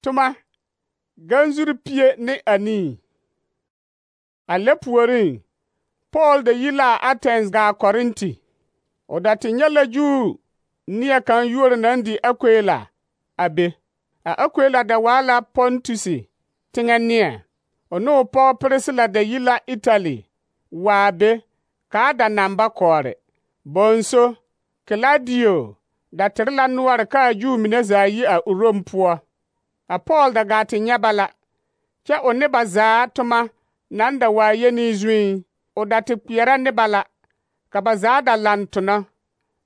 Toma, ganzuri pie ne anii. A lɛ puoriŋ, Paul da yi la a Athens gaa Korinti. O da te nyɛ la Juu neɛ kaŋ yuori naŋ di Akwila a be. A Akwila da waa la Pontusi teŋɛ neɛ. O ne o pɔgɔ Pirisila da yi la Itali waa be kaa da naŋ ba kɔɔre. Bonso, Kilaudio da tere la noɔre kaa Juu mine zaa yi a Rom poɔ. A Paul da gaa te nyɛ ba la, kyɛ o ne ba zaa toma naŋ da waa yeni zuiŋ. O da te kpeɛrɛ ne ba la, ka ba zaa da laŋ tona.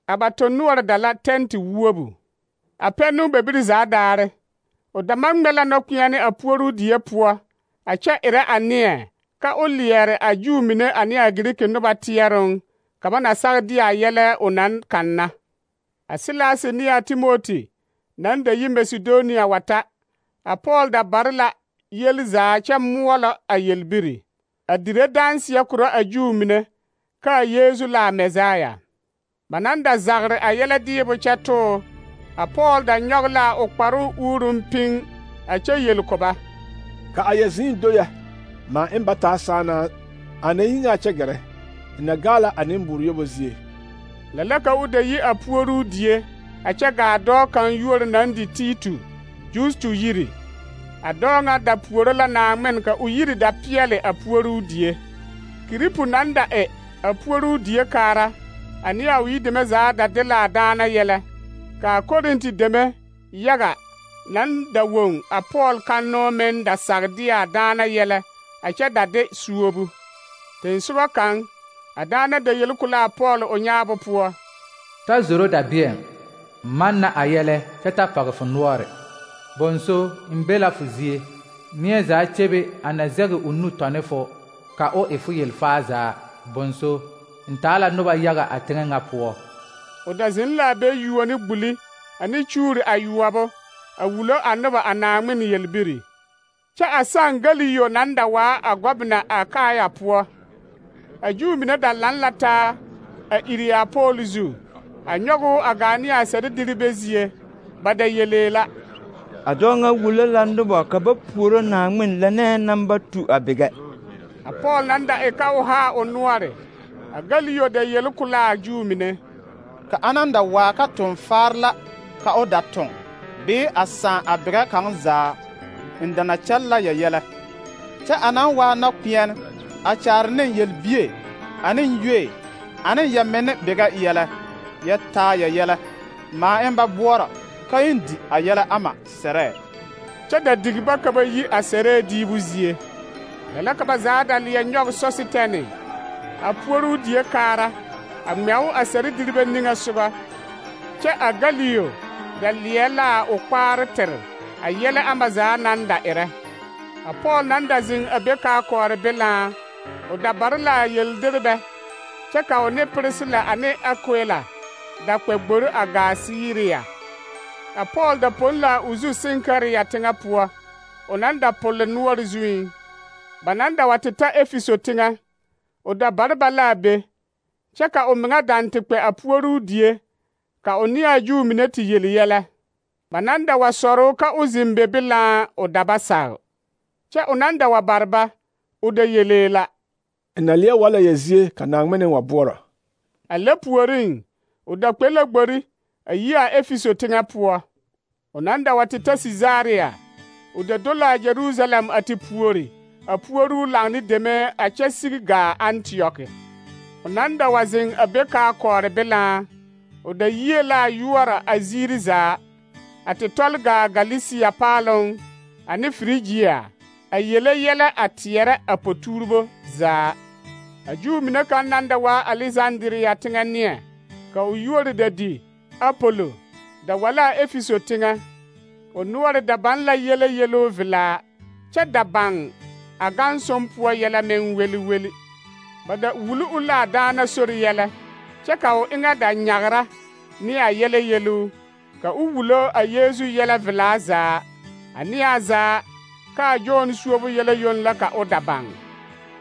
A ba tonnoɔre da la tɛnte wuobu. A pɛnu bebiri zaa daare, o da maŋ ŋmɛ la nɔkpeɛne a puoruu die poɔ, a kyɛ erɛ a neɛ ka o leɛre a Juu mine ane a Giriki noba teɛroŋ ka ba na sag de a yɛlɛ o naŋ kanna. A Silasi ne a Timoti naŋ da yi Masedonia wa ta, a Paul da bare la yeli zaa kyɛ moɔlɔ a yelbiri, a dire danseɛ korɔ a Juu mine kaa Yeesu la a Mesaya. Ba naŋ da zagre a yɛlɛ deebo kyɛ too, a Paul da nyɔge la o kparoo uuruŋ piŋ a kyɛ yeli ko ba: Ka a yɛ zĩĩ do yɛ, maa eŋ ba taa saanaa, a na yi ŋa kyɛ gɛrɛ, na gaa la a nembuur yobo zie. Lɛ la ka o da yi a puoruu die, a kyɛ gaa dɔɔ kaŋ yuori naŋ di Titu, Justu yiri. A dɔɔ ŋa da puoro la Naŋmen ka o yiri da peɛle a puoruu die. Kiripu naŋ da e a puoruu die kaara, ane a o yideme zaa da de la a daana yɛlɛ, ka a Korinti deme yaga naŋ da woŋ a Paul kannoo meŋ da sag de a daana yɛlɛ a kyɛ da de suobu. Tensoba kaŋ, a daana da yeli ko la a Paul o nyaabo poɔ: Ta zoro dabeɛŋ, manna a yɛlɛ kyɛ ta pɔge fo noɔre. Bonso, n be la fo zie, neɛ zaa kyebe a na zɛge o nu tɔne fo, ka o e fo yelfaa zaa. Bonso, n taa la noba yaga a teŋɛ ŋa poɔ. O da zeŋ la a be yuo ne gbuli ane kyuuri ayuobo a wulo a noba a Naŋmen yelbiri. Kyɛ a San Galiyo naŋ da waa a gɔbena a Akaya poɔ, a Juu mine da laŋ la taa a iri a Paul zu, a nyɔge o a gaa ne a sɛrediribe zie. Ba da yelee la: A dɔɔ ŋa wulo la noba ka ba puoro Naŋmen lɛnɛɛ naŋ ba tu a bigɛ. A Paul naŋ da e ka o haa o noɔre, a Galiyo da yeli ko la a Juu mine: Ka anaŋ da waa ka toŋ faar la ka o da toŋ, bee a sãã a bigɛ kaŋ zaa, n da na kyɛl la yɛyɛlɛ. Kyɛ a naŋ waa nɔkpeɛne, a kyaare ne yelbie, ane yue, ane yɛmenne bigɛ yɛlɛ, yɛ taa yɛyɛlɛ, maa eŋ ba boɔrɔ ka eŋ di a yɛlɛ ama sɛrɛɛ. Kyɛ da digi ba ka ba yi a sɛrɛɛ diibu zie. Lɛ la ka ba zaa da leɛ nyɔge Sositɛne, a puoruu die kaara, a ŋmɛo a sɛrediribe niŋe sogɔ. Kyɛ a Galiyo da leɛ la o kpaare tere a yɛlɛ ama zaa naŋ da erɛ. A Paul naŋ da zeŋ a be kaa kɔɔre belaa, o da bare la a yeldirebɛ, kyɛ ka o ne Pirisila ane Akwila da kpɛ gbori a gaa Siriya. A Paul da pon la o zu Senkariya teŋɛ poɔ, o naŋ da pole noɔre zuiŋ. Ba naŋ da wa te ta Efiso teŋɛ, o da bare ba la a be, kyɛ ka o meŋa daŋ te kpɛ a puoruu die, ka o ne a Juu mine te yeli yɛlɛ. Ba naŋ da wa sɔre o ka o zeŋ be belaa, o da ba sag. Kyɛ o naŋ da wa bare ba, o da yelee la: N na leɛ wa la yɛ zie ka Naŋmen wa boɔrɔ. A lɛ puoriŋ, o da kpɛ la gbori a yi a Efiso teŋɛ poɔ. O naŋ da wa te ta Sisaria, o da do la a Jerusalem a te puori, a puoruu laŋ ne deme a kyɛ sigi gaa Antioki. O naŋ da wa zeŋ a be kaa kɔɔre belaa, o da yie la a yoɔrɔ a ziiri zaa, a te tɔle gaa Galisia paaloŋ ane Firigia, a yele yɛlɛ a teɛrɛ a potuuribo zaa. A Juu mine kaŋ naŋ da waa Alesandria teŋɛ neɛ, ka o yuori da di Apolo, da wa la a Efiso teŋɛ. O noɔre da baŋ la yele yeloo velaa, kyɛ da baŋ a gansom poɔ yɛlɛ meŋ weli weli. Ba da wuli o la a daana sori yɛlɛ, kyɛ ka o eŋɛ da nyagra ne a yɛlɛ yeluu, ka o wulo a Yeesu yɛlɛ velaa zaa, a neɛ zaa ka a Jon suobo yɛlɛ yoŋ la ka o da baŋ.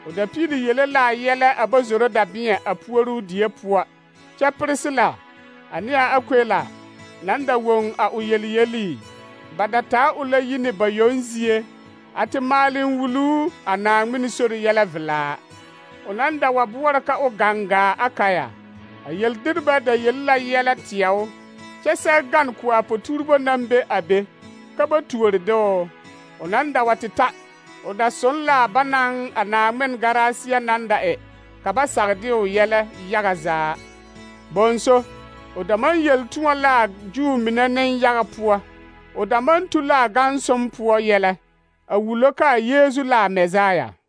O da piili yele la a yɛlɛ a ba zoro dabeɛ a puoruu die poɔ, kyɛ Pirisila ane a Akwila naŋ da woŋ a o yeli yelii, ba da taa o la yi ne ba yoŋ zie a te maale wuluu a Naawmin sori yɛlɛ velaa. O naŋ da wa boɔrɔ ka o gaŋgaa Akaya, a yeldirba da yelle la yɛlɛ teɛ o, kyɛ sɛge gane ko a poturebo naŋ be a be, ka ba tuori de o. O naŋ da wa te ta, o da soŋ la ba naŋ a Naawmin garaasiya naŋ da e, ka ba sage de o yɛlɛ yaga zaa. Bonso, o da maŋ yel tõɔ la a Juu mine nenyaga poɔ, o da maŋ tu la a gansom poɔ yɛlɛ, a wulo ka a Yeezu la a Mɛsaaya.